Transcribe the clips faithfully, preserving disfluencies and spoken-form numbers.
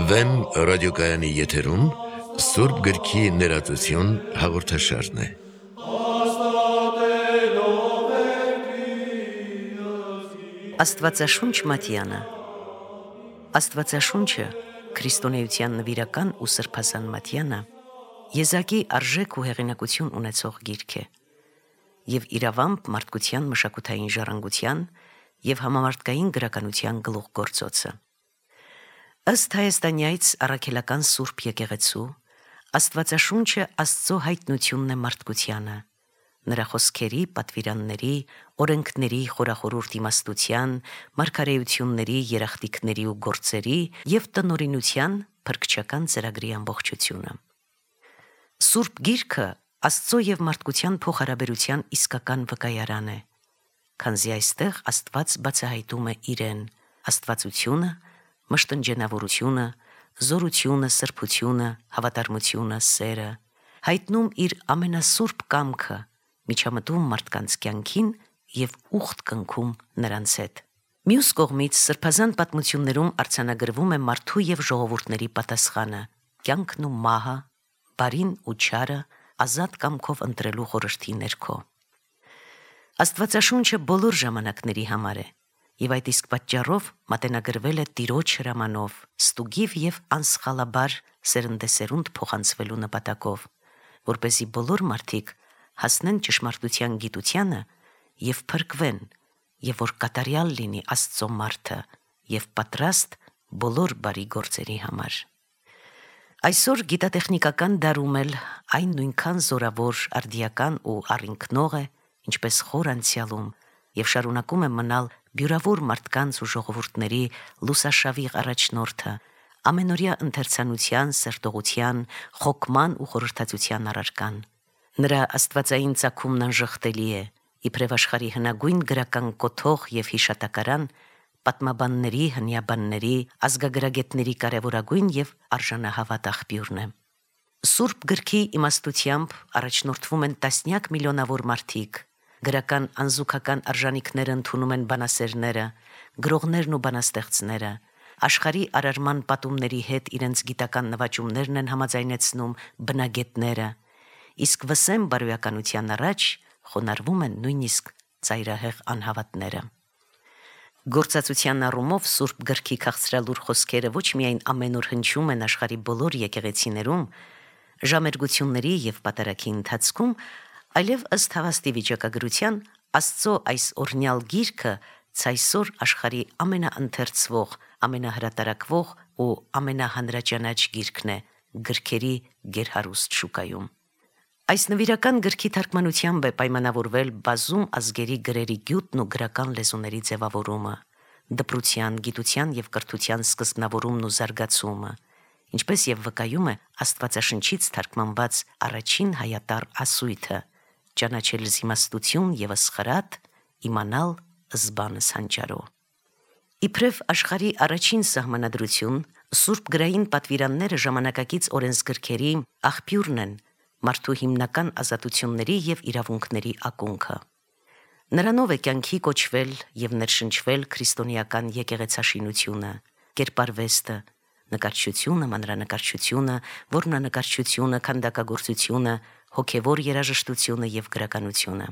Վեմ ռադիոկայանի եթերում Սուրբ գրքի ներածություն հաղորդաշարն է։ Աստվածաշունչ Մատյանը։ Աստվածաշունչը քրիստոնեության նվիրական ու սրբազան Մատյանը եզակի արժեք ու հեղինակություն ունեցող գիրք է եւ իրավամբ մարդկության մշակութային ժառանգության եւ համամարտկային գրականության գլուխգործոցը։ Ըստ հայաստանյայց առաքելական Սուրբ եկեղեցու, Աստվածաշունչը Աստծո հայտնությունն է մարդկությանը, նրա խոսքերի, պատվիրանների, օրենքների, խորախորուրդ իմաստության, մարգարեությունների, երախտիկների ու գործերի եւ տնօրինության փրկչական ծրագրի ամբողջությունը։ Սուրբ գիրքը Աստծո եւ մարդկության փոխհարաբերության իսկական վկայարան է, քանզի այստեղ Աստված բացահայտում է իրեն, աստվածությունը, մշտնջենավորությունը, զորությունը, սրբությունը, հավատարմությունը, սերը, հայտնում իր ամենասուրբ կամքը, միջամտում մարդկանց կյանքին եւ ուխտ կնքում նրանց հետ։ Մյուս կողմից սրբազան պատմություններում արձանագրվում է մարդու եւ ժողովուրդների պատասխանը, կյանքն ու մահը, բարին ու չարը ազատ կամքով ընտրելու խորհրդի ներքո։ Աստվածաշունչը բոլոր ժամանակների համար է, եւ այդ իսկ պատճառով մատենագրվել է Տիրոջ հրամանով, ստուգիվ եւ անսխալաբար սերնդեսերունդ փոխանցվելու նպատակով, որպեսզի բոլոր մարդիկ հասնեն ճշմարտության գիտությանը եւ փրկվեն, եւ որ կատարյալ լինի Աստծո մարդը եւ պատրաստ բոլոր բարի գործերի համար։ Այսօր գիտատեխնիկական դարում էլ այն նույնքան զորավոր, արդիական ու առինքնող է, ինչպես խոր անցյալում, եւ շարունակում է մնալ բյուրավոր մարդկանց ու ժողովուրդների լուսաշավիղ առաջնորդը, ամենօրյա ընթերցանության, սերտողության, խոկման ու խորհրդածության առարկան։ Նրա աստվածային ծագումն անժխտելի է, իբրև աշխարհի հնագույն գրական կոթող եւ հիշատակարան, պատմաբանների, հնյաբանների, ազգագրագետների կարևորագույն եւ արժանահավատ աղբյուրն է։ Սուրբ գրքի իմաստությամբ առաջնորդվում են տասնյակ միլիոնավոր մարդիկ, գրական անզուգական արժանինքները ընդունում են բանասերները, գրողներն ու բանաստեղծները, աշխարհի արարման պատումների հետ իրենց գիտական նվաճումներն են համաձայնեցնում բնագետները, իսկ վսեմ բարոյականության առաջ խոնարհվում են նույնիսկ ծայրահեղ անհավատները։ Գործածության առումով Սուրբ գրքի քաղցրալուր խոսքերը ոչ միայն ամենուր հնչում են աշխարհի բոլոր եկեղեցիներում, ժամերգությունների եւ պատարագի ընթացքում, այլև ըստ հավաստի վիճակագրության Աստծո այս օրհնյալ գիրքը ցայսօր աշխարհի ամենաընթերցվող, ամենահրատարակվող ու ամենահանրաճանաչ գիրքն է գրքերի գերհարուստ շուկայում։ Այս նվիրական գրքի թարգմանությամբ է պայմանավորվել բազում ազգերի գրերի գյուտն ու գրական լեզուների ձևավորումը, դպրության, գիտության եւ կրթության սկզբնավորումն ու զարգացումը, ինչպես եւ վկայում է Աստվածաշնչից թարգմանված առաջին հայատառ ասույթը, ճանաչել զիմաստություն եւս խրատ, իմանալ զբանս հանճարո։ Իբրև աշխարհի առաջին սահմանադրություն, Սուրբ գրային պատվիրանները ժամանակակից օրենսգրքերի աղբյուրն են, մարդու հիմնական ազատությունների եւ իրավունքների ակունքը։ Նրանով է կյանքի կոչվել եւ ներշնչվել քրիստոնեական եկեղեցաշինությունը, կերպարվեստը, նկարչությունը, մանրանկարչությունը, որմնանկարչությունը, քանդակագործությունը, հոգևոր երաժշտությունը եւ գրականությունը։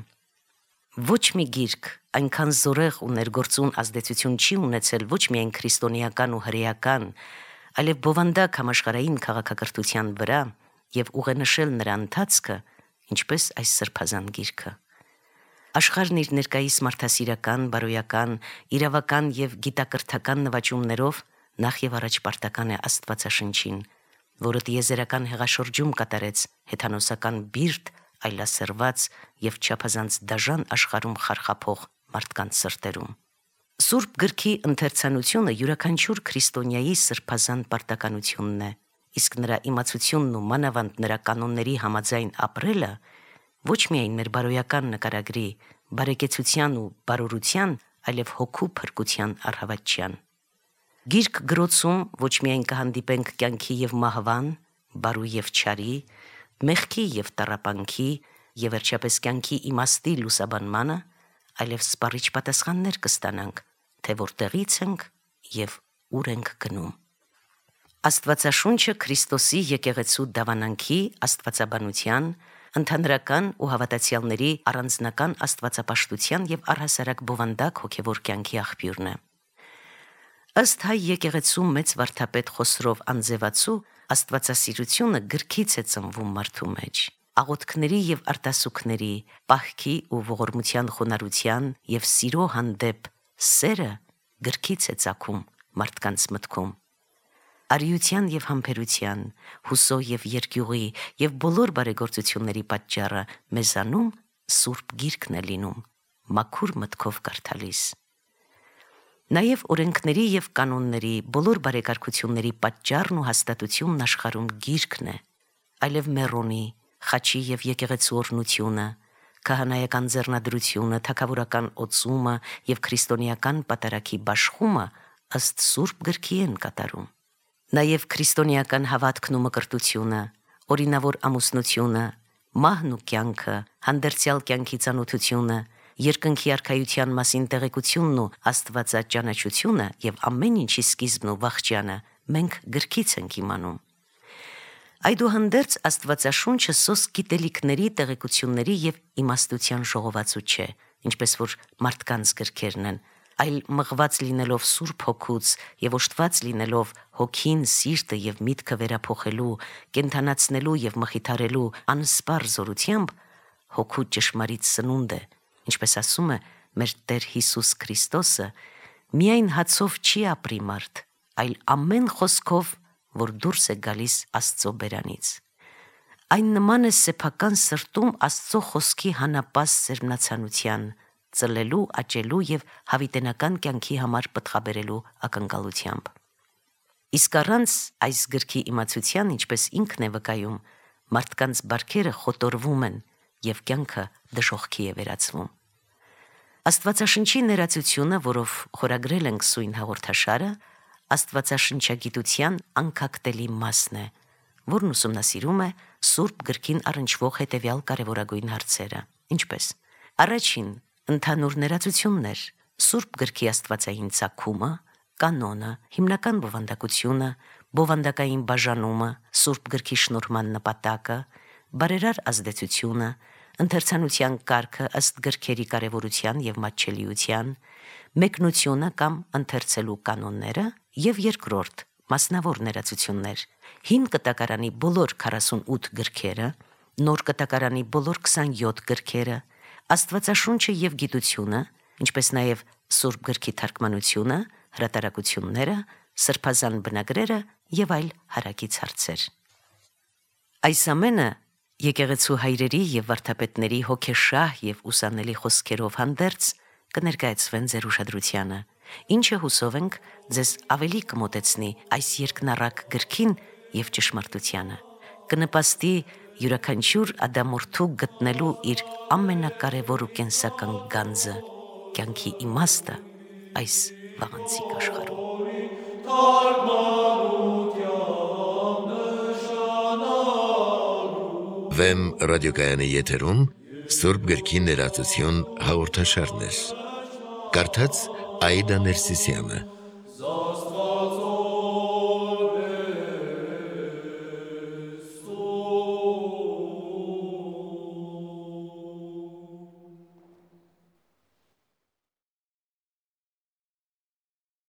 Ոչ մի գիրք այնքան զորեղ ու ներգործուն ազդեցություն չի ունեցել ոչ միայն քրիստոնեական ու հրեական, այլև բովանդակ համաշխարհային քաղաքակրթության վրա եւ ուղենշել նրա ընթացքը, ինչպես այս սրբազան գիրքը։ Աշխարհն իր ներկայիս մարդասիրական, բարոյական, իրավական եւ գիտակրթական նվաճումներով նախ եւ առաջ պարտական է Աստվածաշնչին, որը տիեզերական հեղաշրջում կատարեց հեթանոսական բիրտ, այլասերված եւ չափազանց դաժան աշխարհում խարխափող մարդկանց սրտերում։ Սուրբ գրքի ընթերցանությունը յուրաքանչյուր քրիստոնյայի սրբազան պարտականությունն է, իսկ նրա իմացությունն ու մանավանդ նրա կանոնների համաձայն ապրելը ոչ միայն մեր բարոյական նկարագրի, բարեկեցության ու բարօրության, այլև հոգու փրկության առհավատչյան։ Գիրք գրոցում ոչ միայն կհանդիպենք կյանքի եւ մահվան, բարու եւ չարի, մեղքի եւ տառապանքի եւ վերջապես կյանքի իմաստի լուսաբանմանը, այլև սպառիչ պատասխաններ կստանանք, թե որտեղից ենք եւ ուր ենք գնում։ Աստվածաշունչը Քրիստոսի եկեղեցու դավանանքի, աստվածաբանության, ընդհանրական ու հավատացյալների առանձնական աստվածապաշտության եւ առհասարակ բովանդակ հոգեվոր կյանքի աղբյուրն է։ Ըստ հայ եկեղեցու մեծ վարդապետ Խոսրով Անձևացու, աստվածասիրությունը գրքից է ծնվում մարդու մեջ։ Աղոթքների եւ արտասուքների, պահքի ու ողորմության խոնարհության եւ սիրո հանդեպ սերը գրքից է ծագում մարդկանց մտքում։ Արիության եւ համբերության, հուսո եւ երկյուղի եւ բոլոր բարեգործությունների պատճառը մեզանում Սուրբ Գիրքն է լինում, մաքուր մտքով կարդալիս։ Նաեւ օրենքների եւ կանոնների, բոլոր բարեկարգությունների պատճառն ու հաստատությունն աշխարհում Գիրքն է, այլև Մերոնի, խաչի եւ եկեղեցու օրհնությունը, քահանայական ձեռնադրությունը, թագավորական օծումը եւ քրիստոնեական պատարագի բաշխումը ըստ Սուրբ Գրքի են կատարում։ Նաև քրիստոնեական հավատքն ու մկրտությունը, օրինավոր ամուսնությունը, մահն ու կյանքը, հանդերձյալ կյանքի ծանոթությունը, երկնքի արքայության մասին տեղեկությունն ու աստվածաճանաչությունը եւ ամեն ինչի սկիզբն ու վախճանը մենք գրքից ենք իմանում։ Այդուհանդերձ Աստվածաշունչը սոս գիտելիքների, տեղեկությունների եւ իմաստության ժողովածու չէ, ինչպես որ մարդկանց գրքերն են, այլ մղված լինելով Սուրբ Հոգուց եւ օժտված լինելով հոգին, սիրտը եւ միտքը վերափոխելու, կենթանացնելու եւ մխիթարելու անսպառ զորությամբ հոգու ճշմարիտ սնունդ է, ինչպես ասում է մեր Տեր Հիսուս Քրիստոսը, միայն հացով չի ապրի մարդ, այլ ամեն խոսքով, որ դուրս է գալիս Աստծո բերանից։ Այն նման է սեփական սրտում Աստծո խոսքի հանապաս սերմնացանության, ծլելու, աճելու եւ հավիտենական կյանքի համար պտղաբերելու ակնկալությամբ։ Իսկ առանց այս գրքի իմացության, ինչպես ինքն է վկայում, մարդկանց բարքերը խոտորվում են եւ կյանքը դժոխքի է վերածվում։ Աստվածաշնչի ներածությունը, որով խորագրել ենք սույն հաղորդաշարը, աստվածաշնչագիտության անկախտելի մասն է, որն ուսումնասիրում է Սուրբ Գրքին առնչվող հետևյալ կարևորագույն հարցերը, ինչպես. Առաջին, ընդհանուր ներածություններ, Սուրբ Գրքի աստվածային ծագումը, կանոնը, հիմնական բովանդակությունը, բովանդակային բաժանումը, Սուրբ Գրքի շնորհման նպատակը, բարերար ազդեցությունը, ընթերցանության կարգը ըստ գրքերի կարևորության եւ մատչելիության, մեկնությունը կամ ընթերցելու կանոնները եւ երկրորդ, մասնավոր ներածություններ, հին կտակարանի բոլոր քառասունութ գրքերը, նոր կտակարանի բոլոր քսանյոթ գրքերը, Աստվածաշունչը եւ գիտությունը, ինչպես նաեւ Սուրբ Գրքի թարգմանությունը, հրատարակությունները, սրբազան բնագրերը եւ այլ հարակից հարցեր։ Այս ամենը եկեղեցու հայրերի եւ վարդապետների հոգեշահ եւ ուսանելի խոսքերով հանդերձ կներկայացվեն ձեր ուշադրությանը, ինչը հուսով ենք ձեզ ավելի կմոտեցնի այս երկնառակ գրքին եւ ճշմարտությանը, կնպաստի յուրաքանչյուր ադամորդու գտնելու իր ամենակարևոր ու կենսական գանձը, կյանքի իմաստը այս վաղանցիկ աշխարհում։ Վեմ ռադիոկայանի եթերում Սուրբ Գրքի ներածություն հաղորդաշարներ։ Կարդաց Աիդա Ներսիսյանը։